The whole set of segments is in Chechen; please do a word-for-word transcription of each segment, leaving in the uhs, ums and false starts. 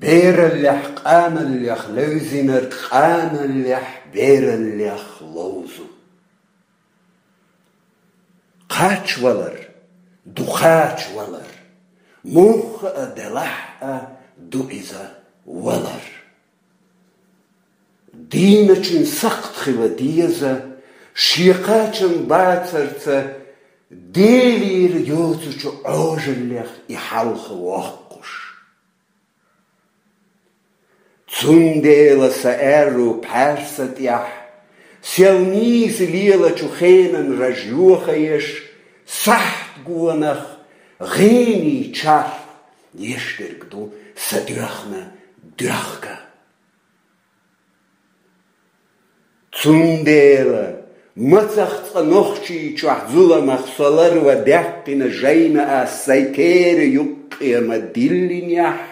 Бераллехь къаналлех левзинарг къаналлехь бераллех ловзу. Кхачавалар ду кхачавалар, муха а делахь а ду иза валар. Дийначун сакхт хила деза, шен кхачам бацарца, Делера йоцучу Ӏожаллех и хьалха воккхуш. Цундела сан аьрру пхьарса тӀехь, сел нийса лелачу хенан раж йохаеш, сахьт гонах гӀений чарх ешдерг ду сан доьхна доьхка. Цундела, мацах цкъа Нохчийчохь зуламах со ларва даьккхина жайна ас сайн тера юккъе ма диллинехь,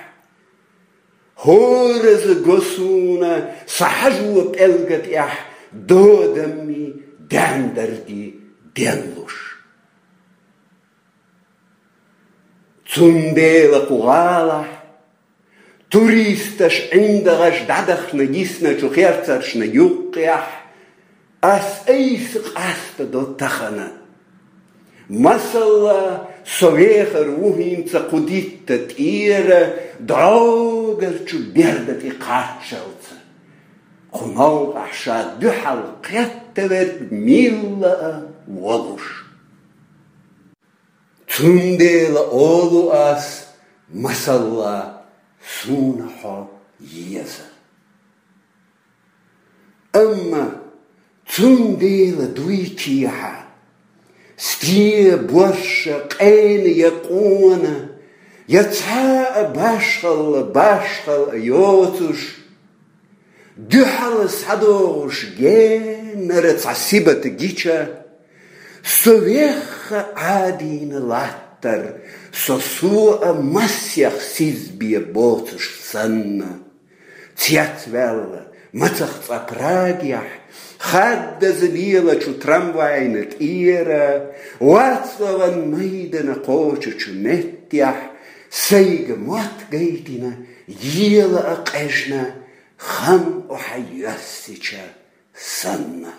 хӀораза го суна сан хьажо пӀелга тӀехь додамми даьндарги денлуш. Цундела кху гӀалахь туристаш ӀиндагӀаш дӀадахана йисначу херцаршна юккъехь ас айса къастадо тахана. Масала, со вехар ву хӀинца кху дитта тӀера дӀогарчу берда тӀе кхаччалца. Кху новкъахь ша дуьхьал кхеттаверг милла а волуш. Цундела олу ас, масала, суна хьо еза. Амма цундела дуй кехьа, стен борша къена я къона, я цхьа а башхалла башхалла йоцуш, дуьхьал схьадогӀуш генара цхьа сибат гича, со вехха Ӏадийна латтар, со суо а массех сизбе боцуш санна. Цецваьлла, мацах цкъа Прагехь, хаддаза лелачу трамвайна тӀера, Вацлаван майдана кхочучу меттехь, сайга мотт гайтина, ела а къежна, хам охьа йоьссича санна.